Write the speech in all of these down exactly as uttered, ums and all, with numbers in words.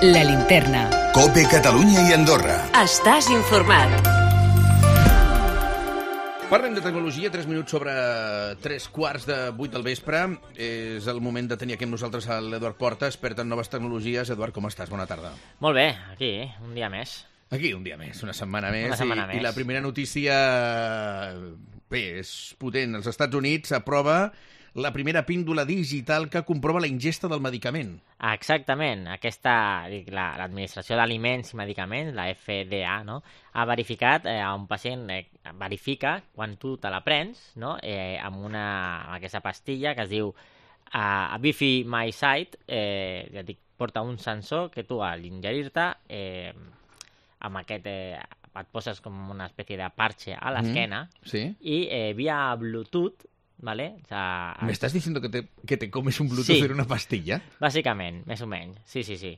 La Linterna. COPE Catalunya i Andorra. Estàs informat. Parlem de tecnologia, tres minuts sobre tres quarts de vuit del vespre. És el moment de tenir aquí amb nosaltres l'Eduard Porta, expert en noves tecnologies. Eduard, com estàs? Bona tarda. Molt bé, aquí, un dia més. Aquí, un dia més, una setmana més. Una setmana i, més. I la primera notícia, bé, és potent. Els Estats Units aprova la primera píndola digital que comprova la ingesta del medicament. Exactament. Aquesta, dic, la, l'Administració d'Aliments i Medicaments, la F D A, no?, ha verificat eh, a un pacient, eh, verifica quan tu te la prens, no?, eh, amb, una, amb aquesta pastilla que es diu uh, Bifi MySight, eh, ja dic, porta un sensor que tu al ingerir-te, eh, amb aquest, eh, et poses com una espècie de parche a l'esquena, mm, sí. i eh, via Bluetooth, ¿vale? O sea, ¿Me estás diciendo que te, que te comes un Bluetooth sí, en una pastilla? Bàsicament, més o menys. Sí, sí, sí.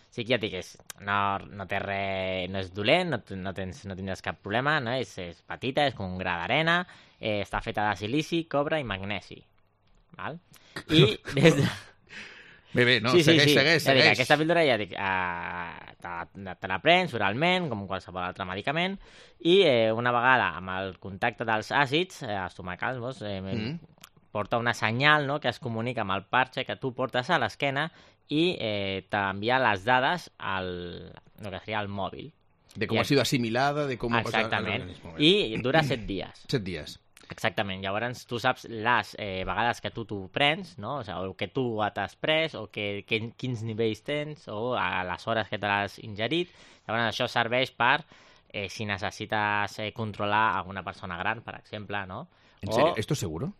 Sí que ja et dic, és, no, no té res, no és dolent, no, no, tens, no tindràs cap problema, no? És, és petita, és com un gra d'arena, eh, està feta de silici, cobre i magnesi. Val? I des de... Bé, bé, no, sí, sí, segueix, sí. segueix, Ja dic, segueix. aquesta píldora ja dic, eh, te, te la prens oralment, com qualsevol altre medicament, i eh, una vegada amb el contacte dels àcids eh, estomacals, doncs, eh, mm. porta una senyal, no?, que es comunica amb el parche que tu portes a l'esquena i eh, t'envia les dades al el que seria el mòbil. De com I, ha sido asimilada, de com ha passat... exactament. I dura set dies. Set dies. Exactament, llavors tu saps les eh, vegades que tu t'ho prens, no? O, sigui, o que tu t'has pres, o que, que, quins nivells tens, o a les hores que te l'has ingerit. Llavors això serveix per, eh, si necessites eh, controlar alguna persona gran, per exemple, no? ¿En o... serio? ¿Esto es seguro?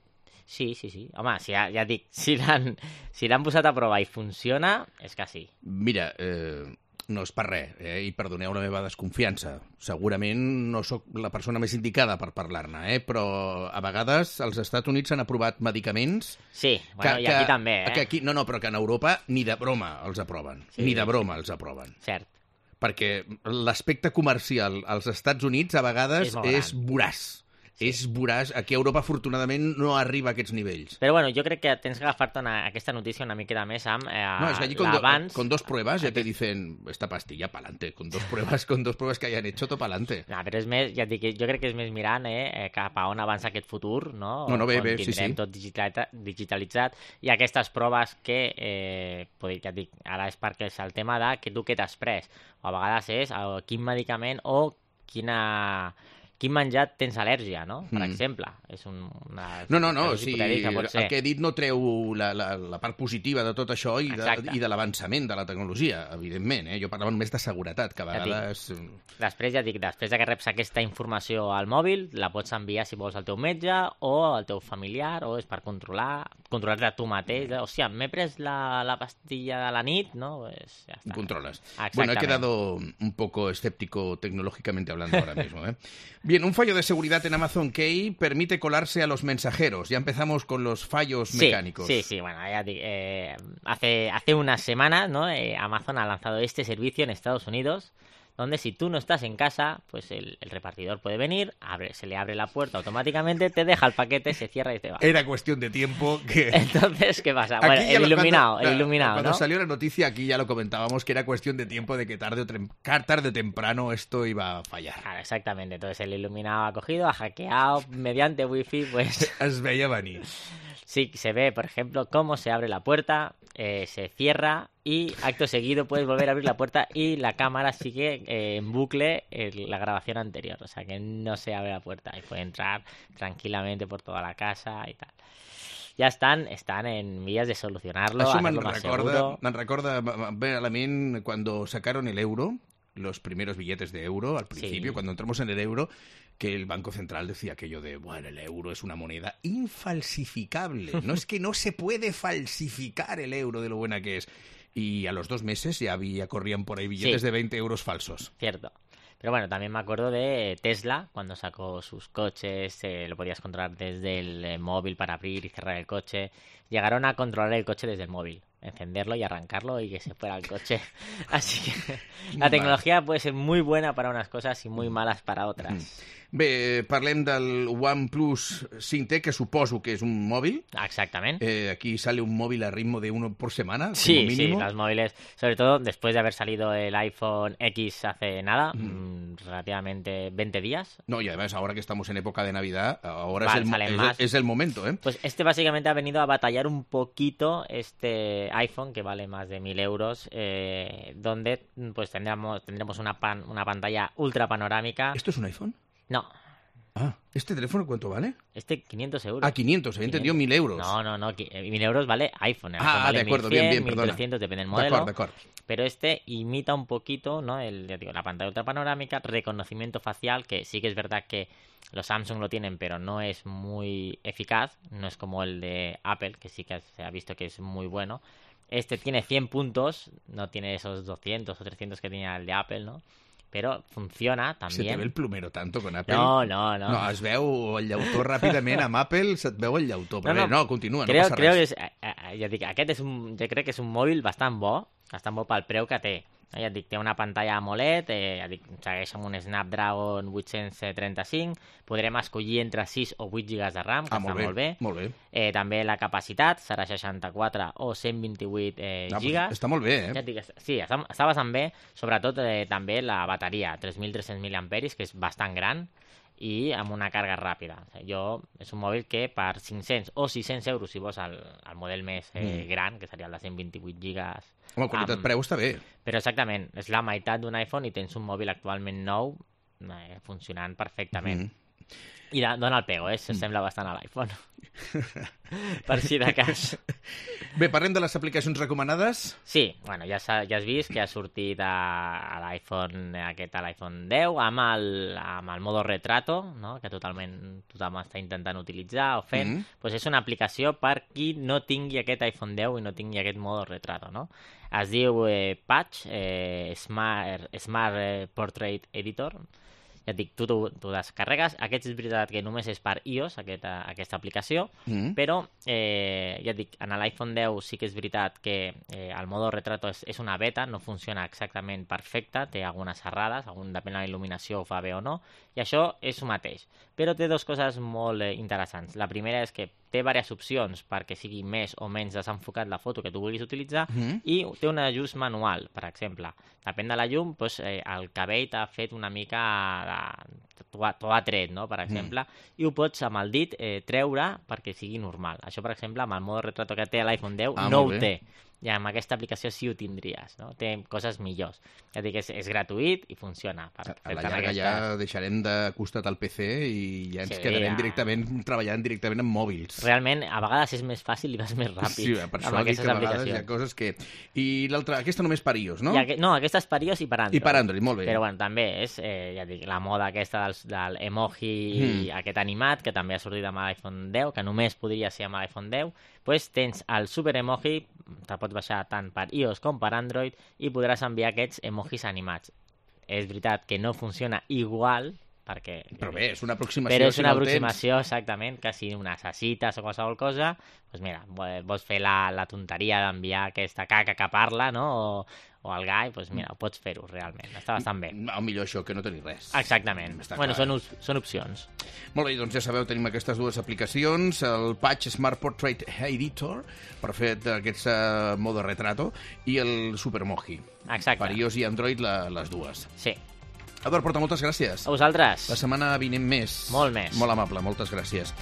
Sí, sí, sí. Home, si ja, ja dic, si l'han si l'han posat a prova i funciona, és que sí. Mira, eh, no és per res, eh, i perdoneu la meva desconfiança. Segurament no sóc la persona més indicada per parlar-ne, eh, però a vegades als Estats Units s'han aprovat medicaments... Sí, bueno, que, i aquí que, també, eh? Que aquí, no, no, però que en Europa ni de broma els aproven. Sí, ni de broma els aproven. Cert. Perquè l'aspecte comercial als Estats Units a vegades És molt és voraç. Sí. És voraç. Aquí a Europa, afortunadament, no arriba a aquests nivells. Però bueno, jo crec que tens que agafar-te una, aquesta notícia una miqueta més amb eh, no, es que allí con, do, con dos pruebas ya aquest... te dicen esta pastilla pa'lante. Con dos pruebas, con dos pruebas que hayan hecho, todo pa'lante. No, però és més, ja et dic, jo crec que és més mirant eh, cap a on avança aquest futur, no? No, no, bé, bé, sí, sí. Tindrem tot digitalitzat, digitalitzat i aquestes proves que, eh, ja et dic, ara és perquè és el tema de que tu què t'has pres. O a vegades és eh, quin medicament o quina... quin menjar tens al·lèrgia, no? Per mm. exemple. És un, una... No, no, no, sí, el que he dit no treu la, la, la part positiva de tot això i de, i de l'avançament de la tecnologia, evidentment, eh? Jo parlava només de seguretat, que a vegades... Ja dic, després, ja dic, després que reps aquesta informació al mòbil, la pots enviar, si vols, al teu metge o al teu familiar, o és per controlar, controlar-te tu mateix. O sigui, m'he pres la, la pastilla de la nit, no? Pues ja està. Controles. Bueno, he quedado un poco escéptico tecnológicamente hablando ahora mismo, ¿eh? Bien, un fallo de seguridad en Amazon Key permite colarse a los mensajeros. Ya empezamos con los fallos sí, mecánicos. Sí, sí, bueno, ya eh, hace, hace unas semanas, ¿no? Eh, Amazon ha lanzado este servicio en Estados Unidos, donde si tú no estás en casa, pues el, el repartidor puede venir, abre, se le abre la puerta automáticamente, te deja el paquete, se cierra y te va. Era cuestión de tiempo que... Entonces, ¿qué pasa? Bueno, el lo, iluminado, cuando, el iluminado, Cuando ¿no? salió la noticia aquí ya lo comentábamos, que era cuestión de tiempo de que tarde o, trem... tarde o temprano esto iba a fallar. Claro, exactamente. Entonces el iluminado ha cogido, ha hackeado mediante wifi, pues... Es veía venir. Sí, se ve, por ejemplo, cómo se abre la puerta, eh, se cierra y acto seguido puedes volver a abrir la puerta y la cámara sigue eh, en bucle en la grabación anterior. O sea, que no se abre la puerta y puede entrar tranquilamente por toda la casa y tal. Ja estan, estan en vías de solucionarlo. Això me'n recorda, me'n recorda bé a la ment cuando sacaron el euro, los primeros billetes de euro, al principio, sí. Cuando entramos en el euro, que el Banco Central decía aquello de, bueno, el euro es una moneda infalsificable. No es que no se puede falsificar el euro de lo buena que es. Y a los dos meses ya había, corrían por ahí billetes sí. de veinte euros falsos. Cierto. Pero bueno, también me acuerdo de Tesla, cuando sacó sus coches, eh, lo podías controlar desde el eh, móvil para abrir y cerrar el coche. Llegaron a controlar el coche desde el móvil, encenderlo y arrancarlo y que se fuera el coche. Así que la tecnología puede ser muy buena para unas cosas y muy malas para otras. Bé, parlem del OnePlus cinc T, que suposo que és un mòbil. Exactament. Eh, aquí sale un móvil a ritmo de uno por semana, Sí, como mínimo. sí, los móviles, sobre todo después de haber salido el iPhone X hace nada, mm. relativamente veinte días. No, y además ahora que estamos en época de Navidad, ahora Vale, es, el, salen es, más. es el momento, ¿eh? Pues este básicamente ha venido a batallar un poquito este iPhone, que vale más de mil euros, eh, donde pues tendremos, tendremos una, pan, una pantalla ultra panorámica. ¿Esto es un iPhone? No. Ah, ¿este teléfono cuánto vale? Este quinientos euros. Ah, quinientos, había entendido mil euros. No, no, no, mil euros vale iPhone. El Ah, iPhone vale de acuerdo, mil cien, bien, bien, perdona. mil trescientos, depende del modelo. De acuerdo, de acuerdo. Pero este imita un poquito, ¿no? El, ya digo, la pantalla ultra panorámica, reconocimiento facial, que sí que es verdad que los Samsung lo tienen, pero no es muy eficaz. No es como el de Apple, que sí que se ha visto que es muy bueno. Este tiene cien puntos, no tiene esos doscientos o trescientos que tenía el de Apple, ¿no? Pero funciona también. Se te ve el plumero tanto con Apple? No, no, no. No, es veu el llautó ràpidament amb Apple, se't veu el llautó. Però no, no, bé, no, continua, creo, no passa creo res. que és, ja dic, aquest és un, jo crec que és un mòbil bastant bo, bastant bo pel preu que té. Ja et dic, té una pantalla AMOLED, eh, ja dic, segueix amb un Snapdragon vuit-cents trenta-cinc, podrem escollir entre sis o vuit gigas de RAM, que Ah, està molt bé, molt bé. molt bé. Eh, també la capacitat serà seixanta-quatre o cent vint-i-vuit eh, Ah, gigas. pues està molt bé, eh? Ja et dic, sí, està, està bastant bé, sobretot eh, també la bateria, tres mil tres-cents miliamperis, que és bastant gran, i amb una càrrega ràpida. O sigui, jo, és un mòbil que per cinc-cents o sis-cents euros, si vols el, el model més eh, Mm. gran, que seria el de cent vint-i-vuit gigas... Home, qualitat-preu està bé. Però exactament, és la meitat d'un iPhone i tens un mòbil actualment nou eh, funcionant perfectament. Mm. I da, dona el pego, eh? S'assembla bastant a l'iPhone. Per si de cas. Bé, parlem de les aplicacions recomanades. Sí, bueno, ja, s'ha- ja has vist que ha sortit a, a l'iPhone aquest, a l'iPhone deu, amb el, amb el modo retrato, no? Que totalment tothom està intentant utilitzar o fent. Mhm. Pues és una aplicació per qui no tingui aquest iPhone deu i no tingui aquest modo retrato, no? Es diu eh, Patch, eh, Smart, Smart eh, Portrait Editor. Ja et dic, tu t'ho t'ho descarregues. Aquest és veritat que només és per iOS, aquesta, aquesta aplicació, Mm. però eh, ja et dic, en l'iPhone deu sí que és veritat que eh, el modo retrato és, és una beta, no funciona exactament perfecte, té algunes errades, algun, depèn de la il·luminació ho fa bé o no, i això és el mateix. Però té dues coses molt eh, interessants. La primera és que té diverses opcions perquè sigui més o menys desenfocat la foto que tu vulguis utilitzar, Mhm. i té un ajust manual, per exemple. Depèn de la llum, doncs, eh, el cabell t'ha fet una mica de... t'ho ha, t'ho ha tret, no?, per exemple, i ho pots amb el dit eh, treure perquè sigui normal. Això, per exemple, amb el modo retrato que té l'iPhone deu Ah, no molt ho bé. té. I amb aquesta aplicació sí ho tindries, no? Té coses millors. Ja et dic, és, és gratuït i funciona. Per, A la per llarga aquestes- ja deixarem de costat el P C i ja ens Sí, quedarem ja. directament treballant directament amb mòbils. Realment, a vegades és més fàcil i vas més ràpid Sí, per això amb dic aquestes que a vegades hi ha aplicacions. coses que... I l'altra, aquesta només per iOS, no? I aqu... No, aquesta és per iOS i per Android. I per Android, molt bé. Però bueno, també és, eh, ja et dic, la moda aquesta del, del emoji Mm. aquest animat, que també ha sortit amb l'iPhone deu, que només podria ser amb l'iPhone deu, pues tens el super emoji, te pots baixar tant per iOS com per Android, i podràs enviar aquests emojis animats. És veritat que no funciona igual, perquè... Però bé, és una aproximació. Però és si una no el tens. aproximació, exactament, que si ho necessites o qualsevol cosa, doncs mira, vo- vols fer la, la tonteria d'enviar aquesta caca que parla, no?, o, o el gai, doncs mira, ho pots fer-ho, realment. Està bastant bé. O millor això, que no tenir res. Exactament. Està Bueno, clar. són, us- són opcions. Molt bé, doncs ja sabeu, tenim aquestes dues aplicacions, el Patch Smart Portrait Editor, per fer aquest uh, modo retrato, i el Supermoji. Exacte. Per iOS i Android, la, les dues. Sí. Eduard Porta, moltes gràcies. A vosaltres. La setmana vinent més. Molt més. Molt amable, moltes gràcies.